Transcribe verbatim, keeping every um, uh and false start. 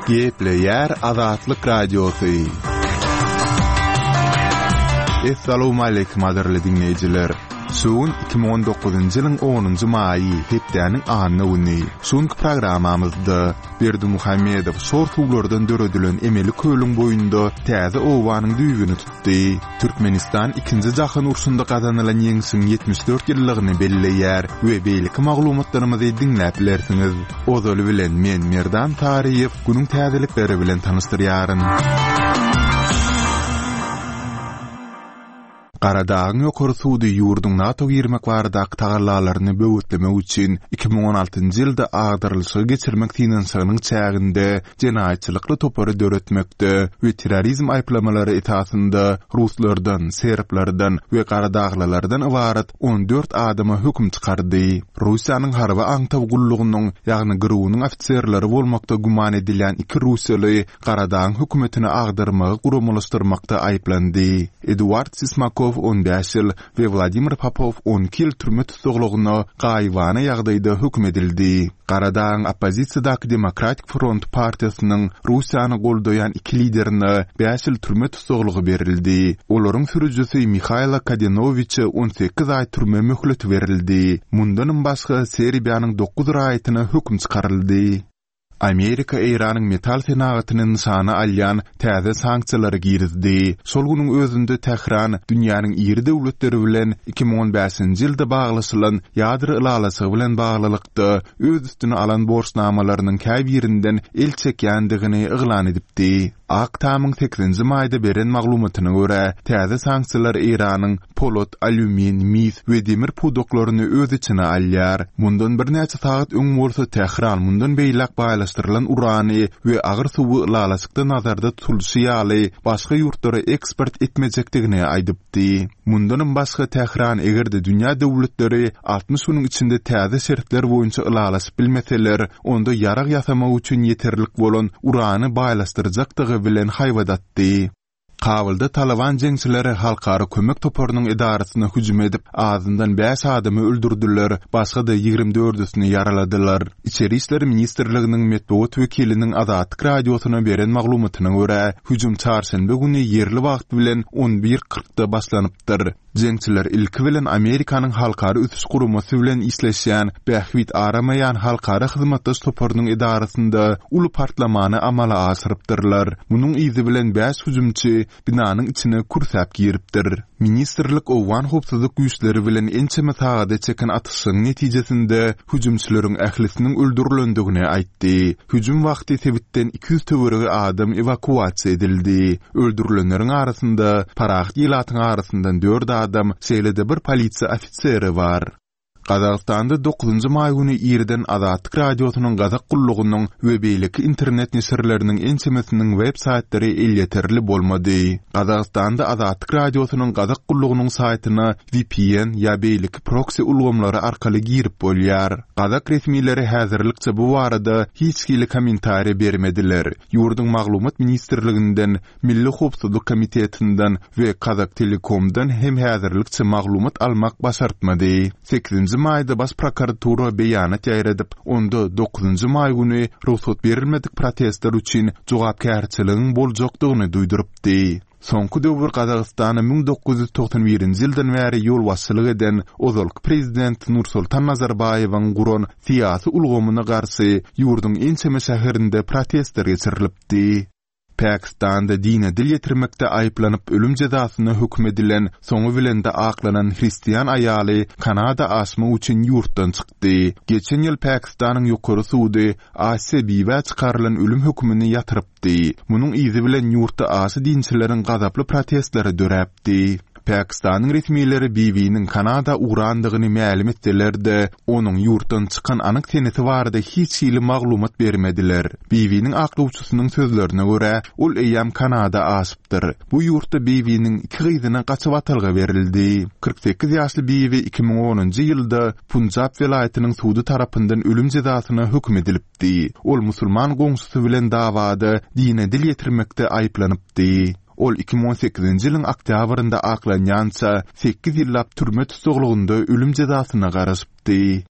Gepleýär Azatlyk Radiosy. Essalawmaleýkim gadyrly diňleýjiler! Şu gün iki müň on dokuzynjy ýylyň onunjy maýy, hepdäniň anna güni. Şu günki programmamyzda Berdimuhamedow şor suwlardan döredilen emeli kölüň boýunda täze obanyň düýbüni tutdy. Türkmenistan Ikinji jahan urşunda gazanylan ýeňşiň ýetmiş dört ýyllygyny belleýär we beýleki maglumatlarymyzy diňläp bilersiňiz. Ozaly bilen men Merdan Taryýew günüň täzelikleri bilen tanyşdyrýaryn. Garadagyň ýokary sudy ýurduň NATO girmek baradaky tagallalaryny böwetlemek üçin iki müň on altynjy ýylda agdarylyşygy geçirmek synanyşygynyň çäginde jenaýatçylykly topary döretmekde we terrorizm aýyplamalary esasynda ruslardan, serblerden we garadaglylardan ybarat on dört adama höküm çykardy. Russiýanyň harby aňtaw gullugynyň, ýagny GRU-nyň ofiserleri bolmakda güman edilýän iki russiýaly Garadagyň hökümetini agdarmagy guramalaşdyrmakda aýyplandy. Eduard Sismakow on bäş ýyl we Wladimir Popow on iki ýyl türme tussaglygyna gaýybana ýagdaýda höküm edildi. Garadagyň oppozisiýadaky Demokratik front partiýasynyň Russiýany goldaýan iki liderine bäş ýyl türme tussaglygy berildi. Olaryň sürüjisi Mihaýlo Kadenowiçe on sekiz aý türme möhleti berildi. Mundanam başga Serbiýanyň dokuz raýatyna höküm çykaryldy. Amerika Eýranyň metal senagatyny nyşana alýan täze sanksiýalary girizdi. Şol günüň özünde Tähran dünýäniň iri döwletleri bilen iki müň on bäşinji ýylda baglaşylan ýadro ylalaşygy bilen baglylykda öz üstüne alan borçnamalarynyň käbirinden el çekýändigini yglan edipdi. Ak Tamyň sekizinji maýda beren maglumatyna görä, täze sanksiýalar Eýranyň polat, alýumin, mis we demir pudaklaryny öz içine alýar. Mundan birnäçe sagat öň bolsa Tähran mundan beýläk baýlaşdyrylan urany we agyr suwy ylalaşykda nazarda tutulyşy ýaly başga ýurtlara eksport etmejekdigini aýdypdy. Mundanam başga Tähran eger-de dünýä döwletleri altmyş günüň içinde täze şertler boýunça ylalaşyp bilmeseler, onda ýarag ýasamak üçin ýeterlik bolan urany baýlaşdyrjakdygy bilen haýbat atdy. Kabulda Talyban jeňçileri halkara kömek toparynyň edarasyna hüjüm edip, azyndan bäş adamy öldürdiler, başga-da ýigrimi dördüsini ýaraladylar. Içeri işler ministrliginiň metbugat wekiliniň Azatlyk Radiosyna beren maglumatyna görä, hüjüm çarşenbe güni ýerli wagt bilen on bir kyrkda başlanypdyr. Jeňçiler ilki bilen Amerikanyň Halkara ösüş guramasy bilen işleşýän Bähbit aramaýan halkara hyzmatdaş toparynyň edarasynda uly partlamany amala aşyrypdyrlar. Munuň yzy bilen bäş hüjümçi binanyň içine kürsäp giripdir. Ministrlik owgan howpsuzlyk güýçleri bilen ençeme sagada çeken atyşygyň netijesinde hüjümçileriň ählisiniň öldürilendigini aýtdy. Hüjüm wagty sebitden iki ýüz töweregi adam ewakuasiýa edildi. Öldürilenleriň arasynda parahat ilatyň arasyndan dört adam, şeýle-de bir polisiýa ofiseri bar. Gazagystanda dokuzynjy maý güni irden Azatlyk Radiosynyň Gazak gullugynyň we beýleki internet neşirleriniň ençemesiniň web saýtlary elýeterli bolmady. Gazagystanda Azatlyk Radiosynyň Gazak gullugynyň saýtyna V P N ýa beýleki proksi ulgamlary arkaly girip bolýar. Gazak resmileri häzirlikçe bu barada hiç hili kommentariýa bermediler. Ýurduň Maglumat ministrliginden, Milli howpsuzlyk komitetinden we Kazaktelekomdan hem häzirlikçe maglumat almak başartmady. Sekizinji maýda Baş prokuratura beýanat ýaýradyp, onda dokuzynjy maý güni rugsat berilmedik protestler üçin jogapkärçiligiň boljakdygyny duýdurypdy. Soňky döwür Gazagystana müň dokuz ýüz togsan birinji ýyldan bäri ýolbaşçylyk eden ozalky prezident Nursultan Nazarbaýewiň guran syýasy ulgamyna garşy ýurduň ençeme şäherinde protestler geçirilipdi. Pakistanda dine dil ýetirmekde aýyplanyp ölüm jezasyna höküm edilen, soňy bilen-de aklanan hristian aýaly Kanada aşmak üçin ýurtdan çykdy. Geçen ýyl Pakistanyň ýokary sudy Asiýa Bibä çykarylan ölüm hökümini ýatyrypdy. Munuň yzy bilen ýurtda aşa dinçileriň gazaply protestleri döräpdi. Pakistanyň resmileri Bibiniň Kanada ugrandygyny mälim etseler-de, onuň ýurtdan çykan anyk senesi barada hiç hili maglumat bermediler. Bibiniň aklawçysynyň sözlerine görä, ol eýýäm Kanada aşypdyr. Bu ýurtda Bibiniň iki gyzyna gaçybatalga berildi. Kyrk sekiz ýaşly Bibi iki müň onunjy ýylda Punjab welaýatynyň sudy tarapyndan ölüm jezasyna höküm edilipdi. Ol musulman goňşusy bilen dawada dine dil ýetirmekde aýyplanypdy. Ol iki müň on sekizinji ýylyň oktýabrynda aklanýança sekiz ýyllap türme tussaglygynda ölüm jezasyna garaşypdy.